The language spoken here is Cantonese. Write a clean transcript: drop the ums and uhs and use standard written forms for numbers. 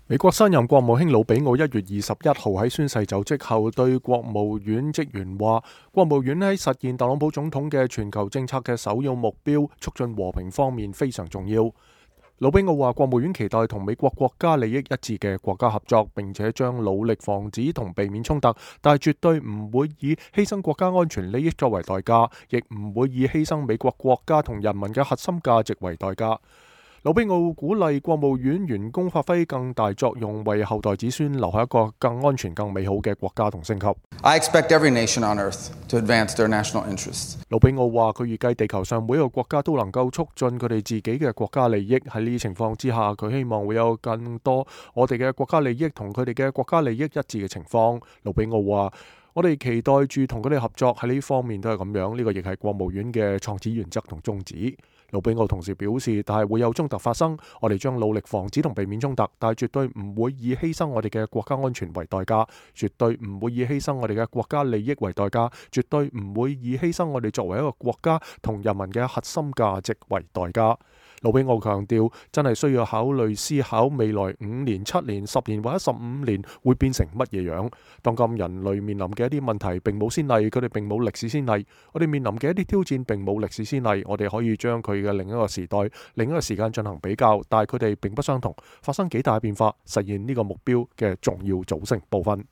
美國新任國務卿魯比奧1月21號喺宣誓就職後，對國務院職員話：國務院喺實現特朗普總統嘅全球政策嘅首要目標，促進和平方面非常重要。魯比奧話：國務院期待同美國國家利益一致嘅國家合作，並且將努力防止同避免衝突，但係絕對唔會以犧牲國家安全利益作為代價，亦唔會以犧牲美國國家同人民嘅核心價值為代價。魯比奧鼓勵國務院員工發揮更大作用，為後代子孫留下一個更安全、更美好嘅國家同星球。I expect every nation on earth to advance their national interests. 魯比奧話：佢預計地球上每一個國家都能夠促進佢哋自己嘅國家利益。喺呢啲情況之下，佢希望會有更多我哋嘅國家利益同佢哋嘅國家利益一致嘅情況。魯比奧話：我哋期待住同佢哋合作，喺呢方面都係咁樣。呢個亦係國務院嘅創始原則同宗旨。魯比奧同時表示，但係會有衝突發生，我哋將努力防止同避免衝突，但係絕對唔會以犧牲我哋嘅國家安全為代價，絕對唔會以犧牲我哋嘅國家利益為代價，絕對唔會以犧牲我哋作為一個國家同人民嘅核心價值為代價。魯比奧強調，真係需要考慮思考未來5年、7年、10年或者15年會變成乜嘢樣。當今人類面臨嘅一啲問題並冇先例，佢哋並冇歷史先例。我哋面臨嘅一啲挑戰並冇歷史先例，我哋可以將佢嘅另一個時代、另一個時間進行比較，但係佢哋並不相同。發生幾大變化，實現呢個目標嘅重要組成部分。